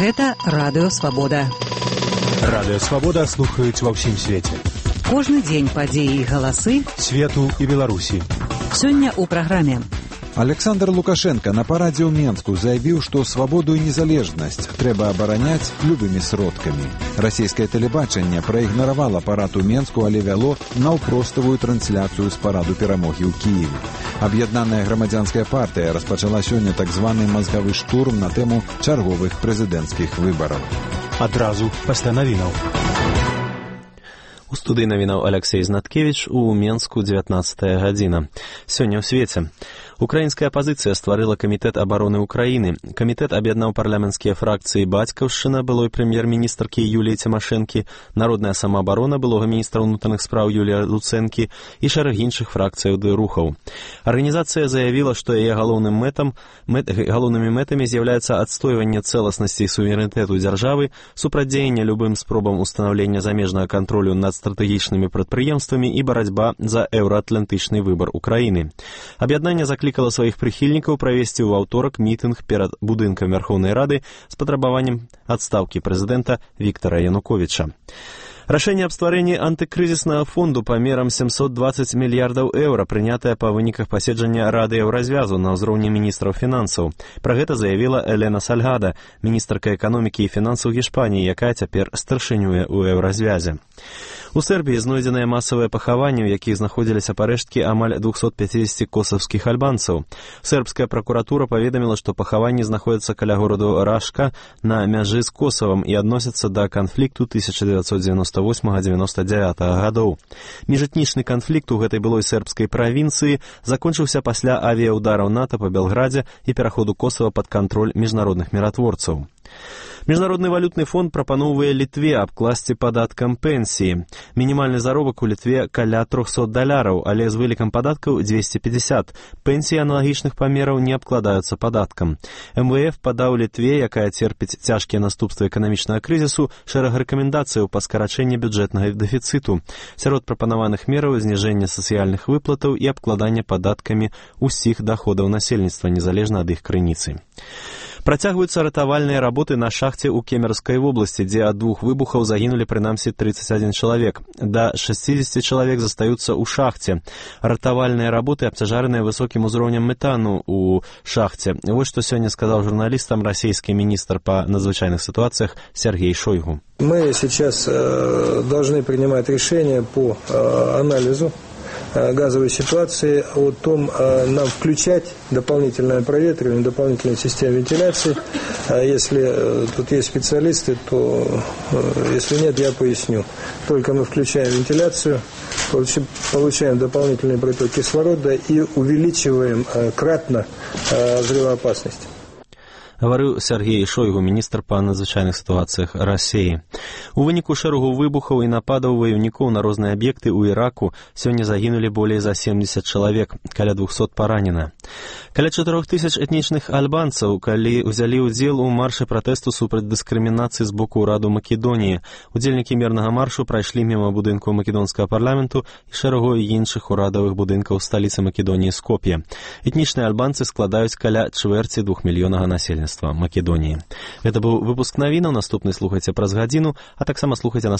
Гэта Радыё Свабода. Радыё Свабода слухаюць ва ўсім свеце. Кожны дзень падзеі і галасы свету і Беларусі. Сёння ў праграме. Александр Лукашенко на парадзе ў Менску заявіў, што свабоду і незалежнасць трэба абараняць любымі сродкамі. Расійскае тэлебачанне праігнаравала парад у Менску, але вяло наўпроставую трансляцыю з параду перамогі ў Кіеве. Аб'яднаная грамадзянская партыя распачала сёння так званы мазгавы штурм на тэму чарговых прэзідэнцкіх выбараў. Адразу пасля навінаў. У студыі навінаў Алексей Знаткевіч, у Менску 19 гадзіна. Сёння ў свеце. Украінская апазіцыя стварыла камітэт абароны Украіны. Камітэт аб'яднаў парламенцкія фракцыі Бацькаўшчына былой прэм'ер-міністркі Юліі Цімашэнкі, Народная самаабарона былога міністра ўнутраных спраў Юлія Луцэнкі і шэраг іншых фракцыяў ды рухаў. Арганізацыя заявіла, што яе галоўнымі мэтамі з'яўляецца адстойванне цэласнасці і суверэнітэту дзяржавы, супрацьдзеянне любым спробам устанаўлення замежнага кантролю над стратэгічнымі прадпрыемствамі і барацьба за еўраатлантычны выбар Украіны. Аб'яднанне заклікала сваіх прыхільнікаў правесці ў аўторак мітынг перад будынкам Вярхоўнай Рады з патрабаваннем адстаўкі прэзідэнта Віктара Януковіча. Рашэнне аб стварэнні антыкрызіснага фонду памерам 720 мільярдаў еўра, прынятае па выніках паседжання Рады Еўразвязу на ўзроўні міністраў фінансаў. Пра гэта заявіла Элена Сальгада, міністрка эканомікі і фінансаў Гішпаніі, якая цяпер старшынюе ў Еўразвязе. У Сербіі знойдзеныя масавыя пахаванні, у якіх знаходзіліся парэшткі амаль 250 косавскіх альбанцаў. Сербская пракуратура паведаміла, што пахаванні знаходзяцца каля гораду Рашка на мяжы з Косавам і адносяцца да канфлікту 1998-99 гадоў. Міжэтнічны канфлікт у гэтай былой сербскай правінцыі закончыўся пасля авіяўдараў НАТО па Белградзе і пераходу Косава пад кантроль міжнародных міратворцаў. Міжнародны валютны фонд прапаноўвае Літве абкласці падаткам пенсіі. Мінімальны заробак у Літве каля $300, але з вылікам падаткаў 250. Пенсіі аналагічных памераў не абкладаюцца падаткам. МВФ падаў Літве, якая церпіць цяжкія наступствы эканамічнага крызісу, шэраг рэкамендацыяў па скарачэнні бюджэтнага дэфіцыту. Сярод прапанаваных мераў зніжэнне сацыяльных выплатаў і абкладанне падаткамі ўсіх даходаў насельніцтва, незалежна ад іх крыніцы. Працягваюцца ратавальныя работы на шахце ў Кемерскай вобласці, дзе ад двух выбухаў загінулі прынамсі 31 чалавек. Да 60 чалавек застаюцца ў шахце. Ратавальныя работы абцяжараныя высокім узроўнем метану ў шахце. Вось што сёння сказаў журналістам расійскі міністр па надзвычайных ситуациях Сергей Шойгу. Мы сейчас должны принимать решение по анализу газовой ситуации, о том, нам включать дополнительное проветривание, дополнительную систему вентиляции. Если тут есть специалисты, то если нет, я поясню. Только мы включаем вентиляцию, получаем дополнительный приток кислорода и увеличиваем кратно взрывоопасность. Гаварыў Сергей Шойгу, міністр па надзвычайных сітуацыях Расіі. У выніку шэрагу выбухаў і нападаў ваёўнікоў на розныя аб'екты ў Іраку сёння загінулі болей за 70 чалавек, каля 200 паранена. Каля 4000 этнічных альбанцаў, калі ўзялі ўдзел у маршы пратэсту супраць дыскрымінацыі з боку ўраду Македоніі. Удзельнікі мірнага маршу прайшлі міма будынку македонскага парламенту і шэрагу іншых урадавых будынкаў сталіцы Македоніі Скоп'е. Этнічныя альбанцы складаюць каля чвэрці 2 мільёнага насельніцтва Македоніі. Гэта быў выпуск навінаў, наступны слухайце праз гадзіну, а таксама слухайце нас